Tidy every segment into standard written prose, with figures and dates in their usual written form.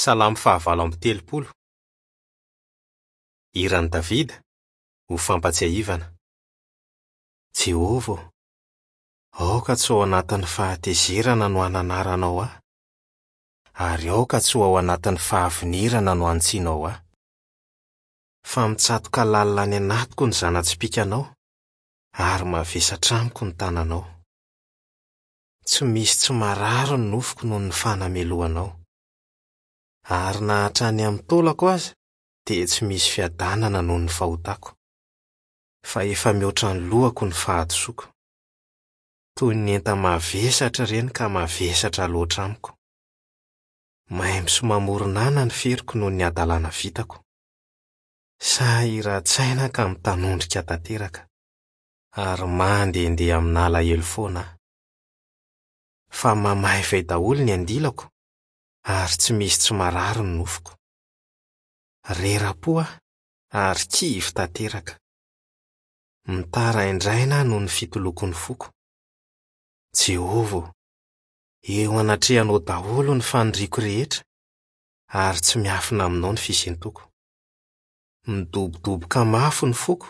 Salamo fahavalo amby 30. Hiran'i Davida, ho fampatsiahivana. Jehovah ô, aoka tsy ho ao anatin'ny fahatezerana no hananaranao ahy, ary aoka tsy ho ao anatin'ny fahavinirana no hanitsianao ahy. Fa mitsatoka lalina any anatiko ny zana-tsipìkanao, ary mavesatra amiko ny tananao. Tsy misy tsy marary ny nofoko noho ny fanamelohanao. Ary na hatrany amin'ny taolako aza dia tsy misy fiadanana noho ny fahotako. Fa efa mihoatra ny lohako ny fahadisoako. Toy ny enta-mavesatra ireny ka mavesatra loatra amiko. Maimbo sy mamoron'ana ny feriko noho ny hadalana vitako. Sahiran-tsaina ka mitanondrika tanteraka. Ary mandehandeha amin'alahelo foana aho. Fa mamaivay daholo ny andilako ary tsy misy tsy marary ny nofoko. Rera-po aho ary kivy tanteraka. Mitaraindraina aho noho ny fitolokon'ny foko. Jehovah ô, eo anatrehanao daholo ny faniriako rehetra ary tsy miafina aminao ny fisentoko. Midobodoboka mafy ny foko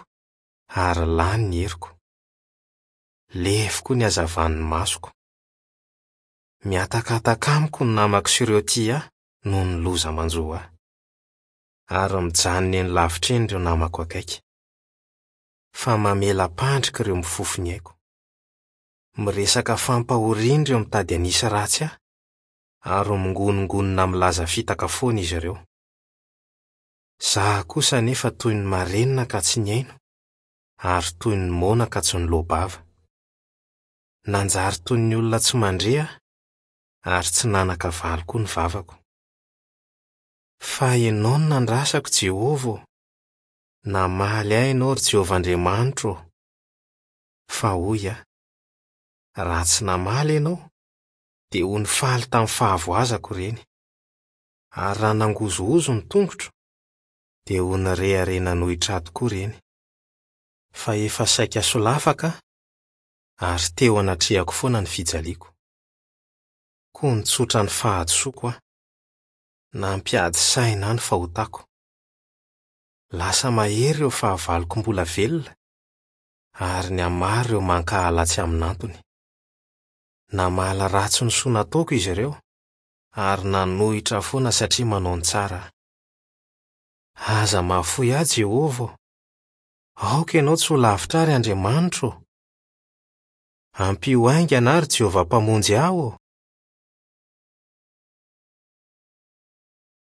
ary lany ny heriko. Lefy koa ny hazavan'ny masoko. Mihatakataka amiko ny namako sy ireo tia ahy noho ny loza manjo ahy. Ary mijanona eny lavitra eny ireo namako akaiky. Fa mamela-pandrika ireo mifofo ny aiko. Miresaka fampahoriana ireo mitady hanisy ratsy ahy, ary mingonongonona milaza fitaka foana izy ireo. Izaho kosa anefa toy ny marenina ka tsy nihaino, ary toy ny moana ka tsy niloa-bava. Nanjary toy ny olona tsy mandre aho, ary tsy nanan-kavaly koa ny vavako. Fa Ianao no nandrasako, Jehovah ô! Namaly ahy Ianao, ry Jehovah Andriamanitro ô! Fa hoy aho, Raha tsy namaly Ianao, dia ho nifaly tamin'ny fahavoazako ireny. Ary raha nangozohozo ny tongotro, dia ho nirehareha nanohitra ahy tokoa ireny. Fa efa saika solafaka aho, ary teo anatrehako foana ny fijaliako. Koa nitsotra ny fahadisoako aho. Nampiady saina ahy ny fahotako. Lasa mahery ireo fahavaloko mbola velona, ary nihamaro ireo mankahala tsy amin'antony. Namaly ratsy ny soa nataoko izy ireo, ary nanohitra foana satria manao ny tsara aho. Aza mahafoy ahy, Jehovah ô! Aoka ianao tsy ho lavitra ahy, ry Andriamanitro ô! Ampio haingana aho, ry Jehovah Mpamonjy ahy ô!